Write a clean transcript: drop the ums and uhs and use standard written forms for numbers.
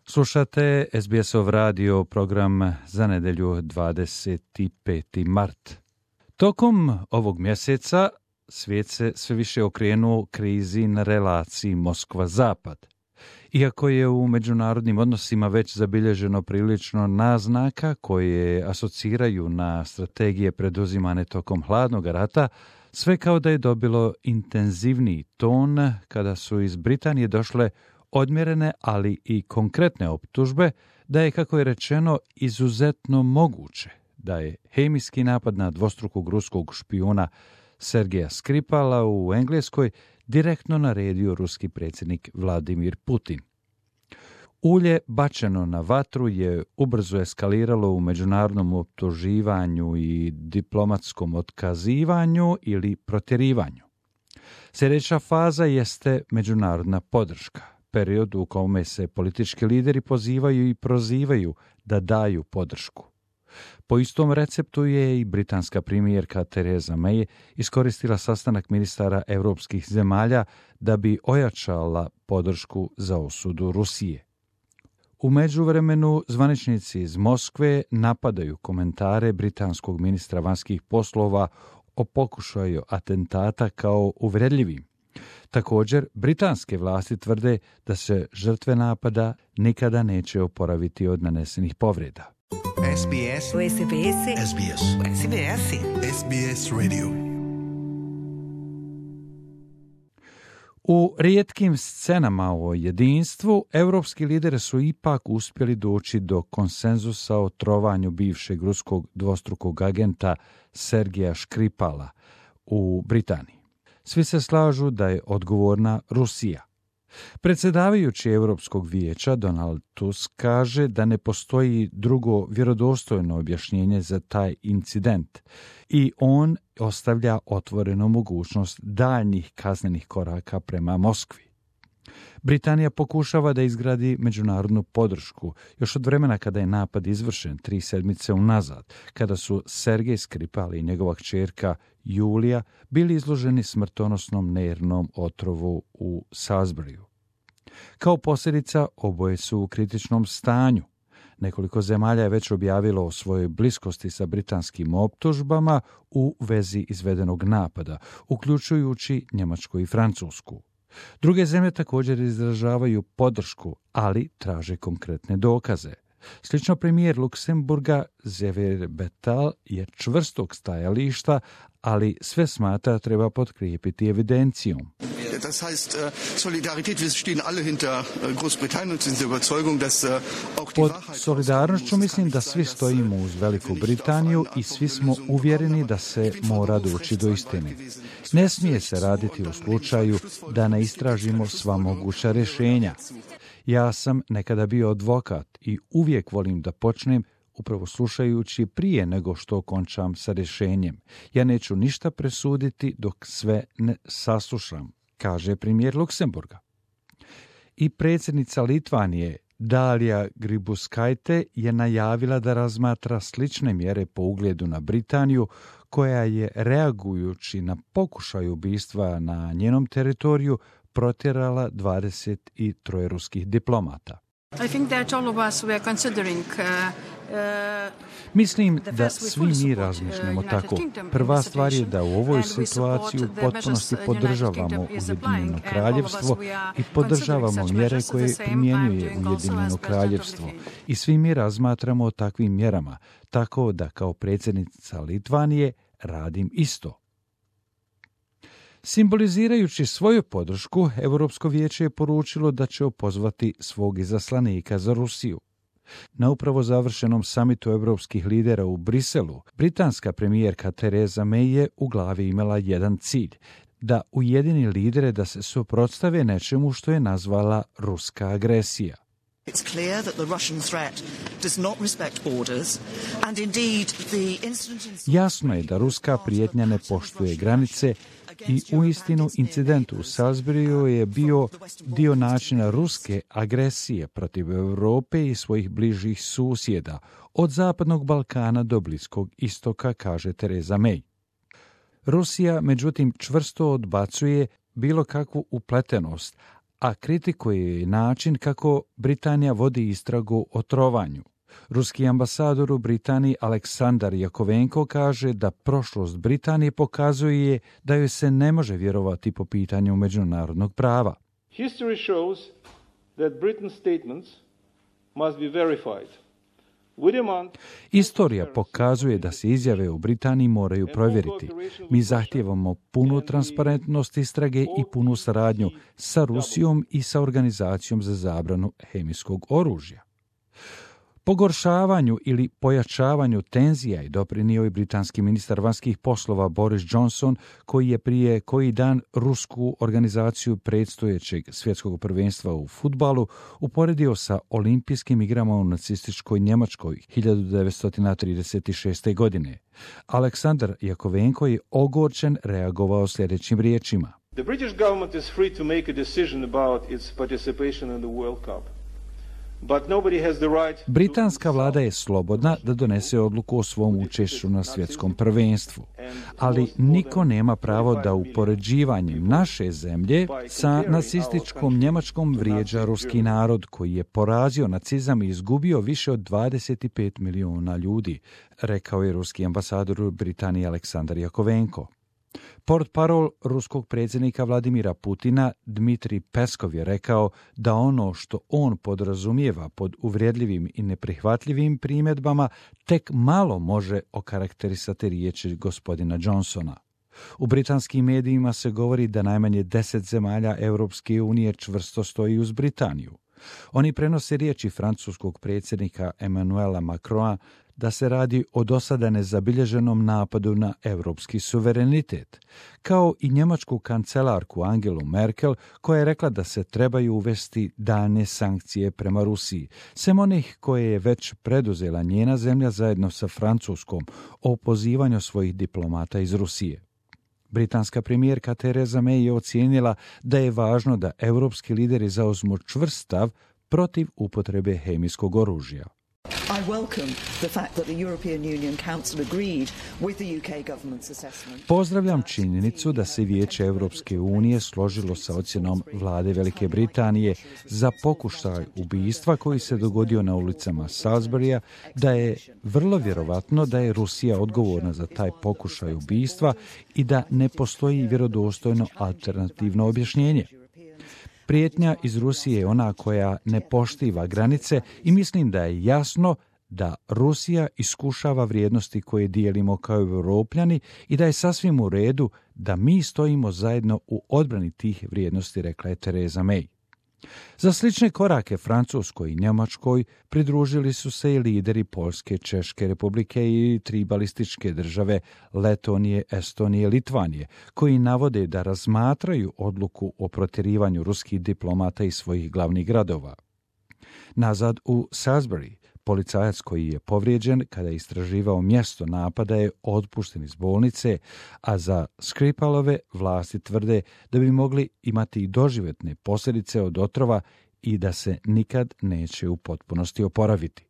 Slušate SBS-ov radio program za nedjelju 25. mart. Tokom ovog mjeseca svijet se sve više okrenuo krizi na relaciji Moskva-Zapad. Iako je u međunarodnim odnosima već zabilježeno prilično naznaka koje asociraju na strategije preduzimane tokom hladnog rata, sve kao da je dobilo intenzivniji ton kada su iz Britanije došle odmjerene, ali i konkretne optužbe da je, kako je rečeno, izuzetno moguće da je hemijski napad na dvostrukog ruskog špijuna Sergeja Skripala u Engleskoj direktno naredio ruski predsjednik Vladimir Putin. Ulje bačeno na vatru je ubrzo eskaliralo u međunarodnom optuživanju i diplomatskom otkazivanju ili protjerivanju. Sljedeća faza jeste međunarodna podrška, period u kome se politički lideri pozivaju i prozivaju da daju podršku. Po istom receptu je i britanska premijerka Theresa May iskoristila sastanak ministara europskih zemalja da bi ojačala podršku za osudu Rusije. U međuvremenu zvaničnici iz Moskve napadaju komentare britanskog ministra vanjskih poslova o pokušaju atentata kao uvredljivim. Također, britanske vlasti tvrde da se žrtve napada nikada neće oporaviti od nanesenih povreda. SBS Radio. U rijetkim scenama o jedinstvu, europski lideri su ipak uspjeli doći do konsenzusa o trovanju bivšeg ruskog dvostrukog agenta Sergeja Skripala u Britaniji. Svi se slažu da je odgovorna Rusija. Predsjedavajući Europskog vijeća Donald Tusk kaže da ne postoji drugo vjerodostojno objašnjenje za taj incident i on ostavlja otvorenu mogućnost daljnjih kaznenih koraka prema Moskvi. Britanija pokušava da izgradi međunarodnu podršku još od vremena kada je napad izvršen 3 sedmice unazad, kada su Sergej Skripal i njegova kćerka Julija bili izloženi smrtonosnom nervnom otrovu u Salisburyu. Kao posljedica, oboje su u kritičnom stanju. Nekoliko zemalja je već objavilo o svojoj bliskosti sa britanskim optužbama u vezi izvedenog napada, uključujući Njemačku i Francusku. Druge zemlje također izražavaju podršku, ali traže konkretne dokaze. Slično premijer Luksemburga Xavier Bettel je čvrstog stajališta, ali sve smatra treba potkrijepiti evidencijom. Das heißt, Solidarität, wir stehen alle hinter Großbritannien und sind der Überzeugung, dass auch die Pod Wahrheit... solidarnošću mislim da svi stojimo uz Veliku Britaniju i svi smo uvjereni da se mora doći do istine. Ne smije se raditi u slučaju da ne istražimo sva moguća rješenja. Ja sam nekada bio advokat i uvijek volim da počnem upravo slušajući prije nego što končam sa rješenjem. Ja neću ništa presuditi dok sve ne saslušam, kaže premijer Luksemburga. I predsjednica Litvanije Dalia Grybauskaitė je najavila da razmatra slične mjere po ugledu na Britaniju, koja je, reagujući na pokušaj ubistva na njenom teritoriju, protjerala 23 ruskih diplomata. I think that all of us were considering Mislim da svi mi razmišljamo tako. Prva stvar je da u ovoj situaciji u potpunosti podržavamo Ujedinjeno kraljevstvo i podržavamo mjere koje primjenjuje Ujedinjeno kraljevstvo. I svi mi razmatramo o takvim mjerama, tako da kao predsjednica Litvanije radim isto. Simbolizirajući svoju podršku, Europsko vijeće je poručilo da će opozvati svog izaslanika za Rusiju. Na upravo završenom samitu europskih lidera u Briselu, britanska premijerka Theresa May je u glavi imala jedan cilj, da ujedini lidere da se suprotstave nečemu što je nazvala ruska agresija. It's clear that the Russian threat does not respect borders, and indeed the incident in... Jasno je da ruska prijetnja ne poštuje granice i uistinu incident u Salisburyu je bio dio načina ruske agresije protiv Europe i svojih bližih susjeda, od Zapadnog Balkana do Bliskog istoka, kaže Theresa May. Rusija, međutim, čvrsto odbacuje bilo kakvu upletenost, a kritikuje i način kako Britanija vodi istragu o trovanju. Ruski ambasador u Britaniji Aleksandar Jakovenko kaže da prošlost Britanije pokazuje da joj se ne može vjerovati po pitanju međunarodnog prava. History shows that Britain's statements must be verified. Istorija pokazuje da se izjave u Britaniji moraju provjeriti. Mi zahtijevamo punu transparentnost istrage i punu saradnju sa Rusijom i sa Organizacijom za zabranu hemijskog oružja. Pogoršavanju ili pojačavanju tenzija je doprinio i britanski ministar vanjskih poslova Boris Johnson, koji je prije koji dan rusku organizaciju predstojećeg svjetskog prvenstva u fudbalu uporedio sa olimpijskim igrama u nacističkoj Njemačkoj 1936. godine. Aleksandar Jakovenko je ogorčen reagovao sljedećim riječima. The British government is free to make a decision about its participation in the World Cup. Britanska vlada je slobodna da donese odluku o svom učešću na svjetskom prvenstvu, ali niko nema pravo da upoređivanjem naše zemlje sa nacističkom Njemačkom vrijeđa ruski narod koji je porazio nacizam i izgubio više od 25 milijuna ljudi, rekao je ruski ambasador u Britaniji Aleksandar Jakovenko. Portparol ruskog predsjednika Vladimira Putina Dmitrij Peskov je rekao da ono što on podrazumijeva pod uvredljivim i neprihvatljivim primjedbama tek malo može okarakterisati riječi gospodina Johnsona. U britanskim medijima se govori da najmanje 10 zemalja Europske unije čvrsto stoji uz Britaniju. Oni prenose riječi francuskog predsjednika Emmanuela Macrona da se radi o dosada nezabilježenom napadu na europski suverenitet, kao i njemačku kancelarku Angelu Merkel, koja je rekla da se trebaju uvesti daljnje sankcije prema Rusiji, sem onih koje je već preduzela njena zemlja zajedno sa Francuskom o pozivanju svojih diplomata iz Rusije. Britanska premijerka Theresa May je ocijenila da je važno da europski lideri zauzmu čvrst stav protiv upotrebe hemijskog oružja. I welcome the fact that the European Union Council agreed with the UK government's assessment. Pozdravljam činjenicu da se Vijeće Europske unije složilo sa ocjenom vlade Velike Britanije za pokušaj ubistva koji se dogodio na ulicama Salisburya, da je vrlo vjerovatno da je Rusija odgovorna za taj pokušaj ubistva i da ne postoji vjerodostojno alternativno objašnjenje. Prijetnja iz Rusije je ona koja ne poštiva granice i mislim da je jasno da Rusija iskušava vrijednosti koje dijelimo kao Europljani i da je sasvim u redu da mi stojimo zajedno u odbrani tih vrijednosti, rekla je Theresa May. Za slične korake Francuskoj i Njemačkoj pridružili su se i lideri Poljske, Češke republike i 3 balističke države Letonije, Estonije i Litvanije, koji navode da razmatraju odluku o protjerivanju ruskih diplomata iz svojih glavnih gradova. Nazad u Salisbury, policajac koji je povrijeđen kada je istraživao mjesto napada je otpušten iz bolnice, a za Skripalove vlasti tvrde da bi mogli imati i doživotne posljedice od otrova i da se nikad neće u potpunosti oporaviti.